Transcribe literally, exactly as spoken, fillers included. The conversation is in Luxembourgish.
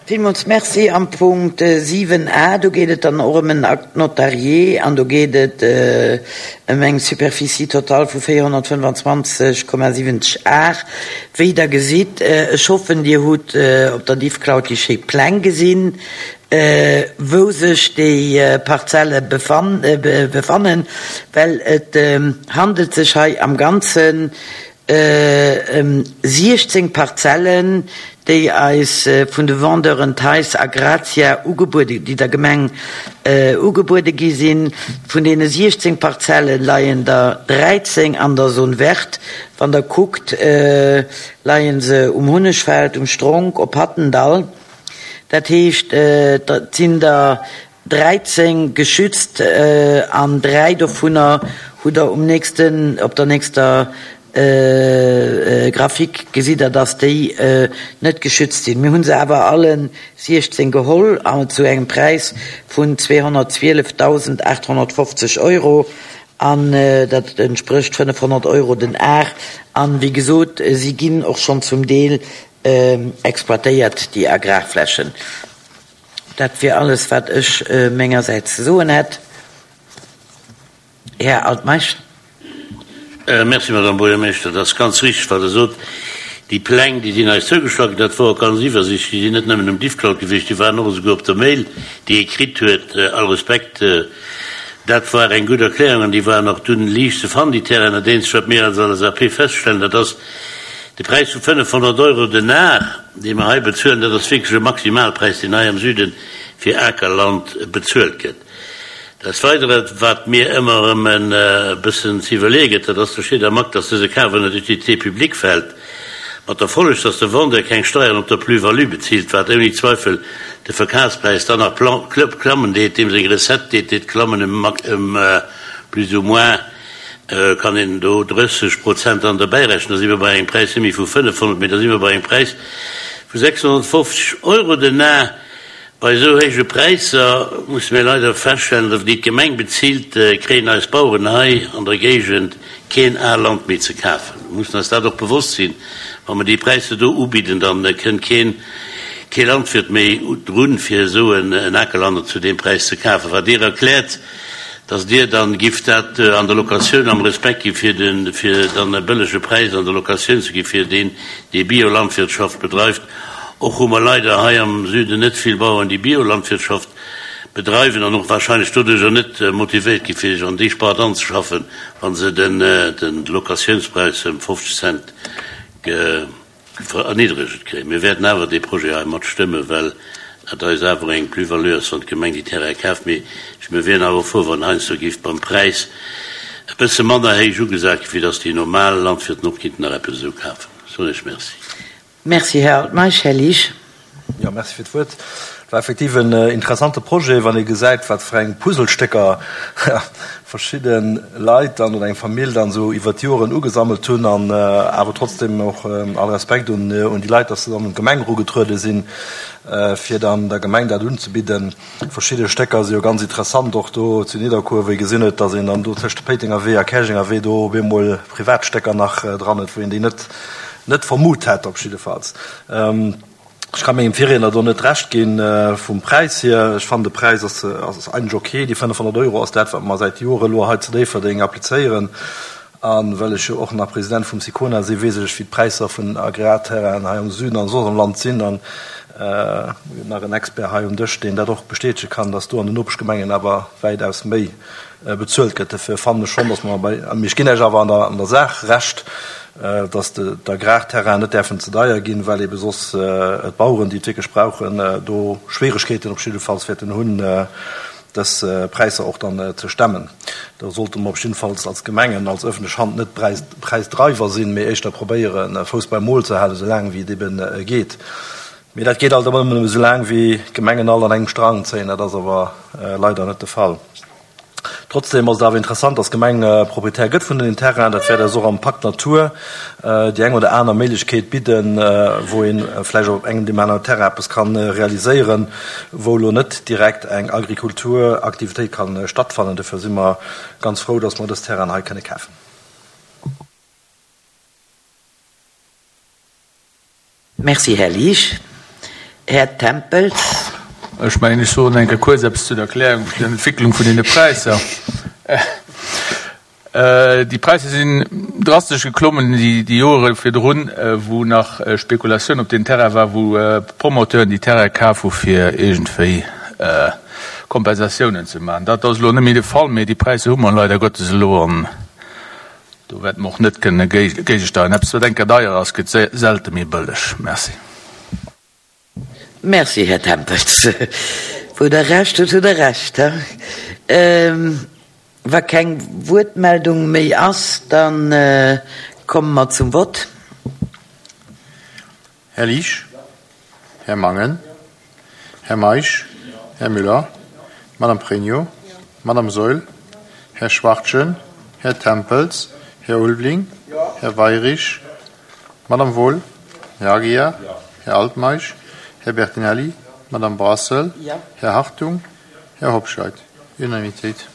Villmools Merci. Am Punkt siwen a, do geet et dann och ëm en Acte notarié an do geet et ëm eng Superficie totale vu véierhonnertfënnefanzwanzeg Komma siwwenzeg Ar. Wéi Der gesitt, ech hoffen, Dir hutt op der Diffcloud déi schéi Pläng gesinn, wou sech déi Parzelle befannen, well et handelt sech hei am Ganzen ëm siechzéng Parzellen, déi eis vun de Vendeuren Theis a Grazia ugebuede, déi der Gemeng ugebuede gi sinn. Vun deene siechzéng Parzelle leien der dräizéng an der Zone verte. Wann Der kuckt, leie se um Hunnegfeld, um Stronk, op Hattendall. Dat heescht, et sinn der dräizéng geschützt an dräi dovunner hutt Der um nächsten, op der nächster Grafik gesitt Der, dass déi net geschützt sinn. Mir hu se awer alle siechzéng geholl an zu engem Präis vun zweehonnertzwielefdausendachthonnertfofzeg Euro an dat entsprécht fënnefhonnert Euro den Ar. An, wéi gesot, si ginn och schonn zum Deel exploitéiert, déi Agrarflächen. Dat wier alles, wat ech mengersäits ze soen hätt. Här Altmeisch. Merci, Madame Buergermeeschter. Dat ass ganz richteg, wat Der sot. Déi Pläng, déi sinn eis zougeschloen ginn. Dat wor och ganz iwwersichtlech. Déi sinn net nëmmen um Diffcloud gewiescht, déi waren och esouguer op der Mail, déi ee kritt huet. All Respekt, dat war eng gutt Erklärung an déi waren och dunn liicht ze fannen, déi Terrainen. Dat eenzegt, wat mir als L S A P feststellen, dat ass de Präis vu fënnefhonnert Euro den Ar, dee mer hei bezuelen. Dat ass wierklech e Maximalpräis, deen hei am Süde fir Akerland bezuelt gëtt. Des Weidere, wat mir ëmmer erëm e bëssen ze iwwerleeë gëtt, dat ass, do steet am Akt, dass dëse Kaf ënner d'Utilité publique fält, mat der Folleg, dass de Vendeur keng Steiern op der Plus-value bezilt, wat ouni Zweifel de Verkafspräis dann nach klammen deet, deem seng Recette deet deet klammen ëm plus ou moins, kann een do drësseg Prozent dann derbäirechnen, da si mer bei engem Präis net méi vu fënnefhonnert, mee da si mer bei engem Präis vu sechshonnertfofzeg Euro den Ar. Bei esou héije Präisser musse mir leider feststellen, datt déi d'Gemeng bezilt, kréien eis Baueren hei an der Géigend keen Ar Land méi ze kafen. Mir mussen eis dat och bewosst sinn, wa mer déi Präisser do ubidden, da kënnt keen, kee Landwirt méi drun, fir esou en Akerland zu deem Präis ze kafen. Wat Dir erkläert, datt Dir dann gifft dat an der Locatioun am Respekt gi fir de, fir dann e bëllege Präis an der Locatioun ze gi fir deen, dee Biolandwirtschaft bedreift. Och hu mer leider hei am Süden net vill Bauern, déi Biolandwirtschaft bedreiwen an och wahrscheinlech doduercher net motivéiert gi fir sech an déi Spart anzeschaffen, wa se den Locatiounspräis ëm fofzeg Cent erniddregt kréien. Mir wäerten awer dee Projet hei mat stëmmen, well et eis awer eng Plus-value ass, wann d'Gemeng déi Terraine kaaft. Mee mir wieren awer frou, wann heiansdo géif beim Präis e bësse manner héich ugesat ginn, fir datt déi normal Landwirten och kinnten nach eppes esou kafen. Soen ech Merci. Merci, Här Altmeisch. Här Liesch. Jo, merci fir d'Wuert. Et war effektiv en interessante Projet, wann ee gesäit, wat fir eng Puzzlestécker verschidde Leit dann oder eng Famill dann esou iwwert d'Joren ugesammelt hunn. An awer trotzdem och all Respekt un déi Leit, dass se dann un d'Gemeng erugetruede sinn, fir dann der Gemeng dat unzebidden. Verschidde Stécker si jo ganz interessant, och do zu Nidderkuer, wou ee gesinn huet, dass een dann do tëscht Péitenger Wee a Käerjenger Wee do op eemol privat Stécker nach dran huet, wou een déi net net vermut hätt op jiddefalls. Ech ka mengem Virriedner do net Recht ginn vum Präis hier. Ech fannen, de Präis ass ass eigentlech ok. Déi fënnefhonnert Euro ass dat, wat mer säit Jore elo hei zu Déifferdeng applizéieren. A well ech jo och nach President vum SICONA sinn, weess ech, wéi d'Präisser vun Agrarterrainen hei am Süden an soss am Land sinn. An nach en Expert hei um Dësch, deen dat och bestätege kann, dass do an den Nopeschgemengen awer wäitaus méi bezuelt gëtt. Dofir fannen ech schonn, dass mer bei, mee ech ginn Iech awer an der an der Saach Recht, dass d'Agrarterrainen net däerfen ze deier ginn, well ebe soss d'Baueren, déi et wierklech brauchen, do Schwieregkeeten op jiddefalls wäerten hunn, dës Präisser och dann ze stemmen. Do sollte mer op jiddefalls als Gemengen, als öffentlech Hand net Präisdreiwer sinn, mee éischter probéieren, Fouss beim Mol ze halen, esou laang wéi et ebe geet. Mee dat geet alt ëmmer nëmmen esou laang, wéi d'Gemengen all an engem Strang zéien. Dat ass awer leider net de Fall. Trotzdem ass et awer interessant, dass d'Gemeng Proprietär gëtt vun den Terrainen. Dat wäert eis och am Pacte Natur déi eng oder aner Méiglechkeet bidden, wou ee vläicht op engem deem aneren Terrain eppes ka realiséieren, wou elo net direkt eng Agrikulturaktivitéit ka stattfannen. Dofir si mer ganz frou, dass mer dës Terrainen hei kënne kafen. Merci, Här Liesch. Här Tempels. Ech mengen, ech soen eng Kéier kuerz eppes zu der Erklärung vun der Entwicklung vun deene Präisser. Déi Präisser sinn drastesch geklommen déi Joere virdrun, wou nach Spekulatioun op den Terrain war, wou Promoteuren déi Terraine kaf hu fir iergendwéi Kompensatiounen ze maachen. Dat ass elo net méi de Fall, mee déi Präisser hu mer leider Gottes elo an do wäerte mer och net kënne géigesteieren. Eppes, wat eng Kéier deier ass, gëtt selte méi bëlleg. Merci. Merci, Här Tempels. Wou Der Recht hutt, hutt Der Recht. Wa keng Wuertmeldung méi ass, da komme mer zum Vott. Här Liesch? Här Mangen? Här Meisch? Här Müller? Madame Pregno? Madame Saeul? Här Schwachtgen? Här Tempels? Här Ulveling? Här Weyrich? Madame Wohl? Här Aguiar? Här Altmeisch? Här Bertinelli? Madame Brassel? Här Hartung? Här Hobscheit? Unanimitéit.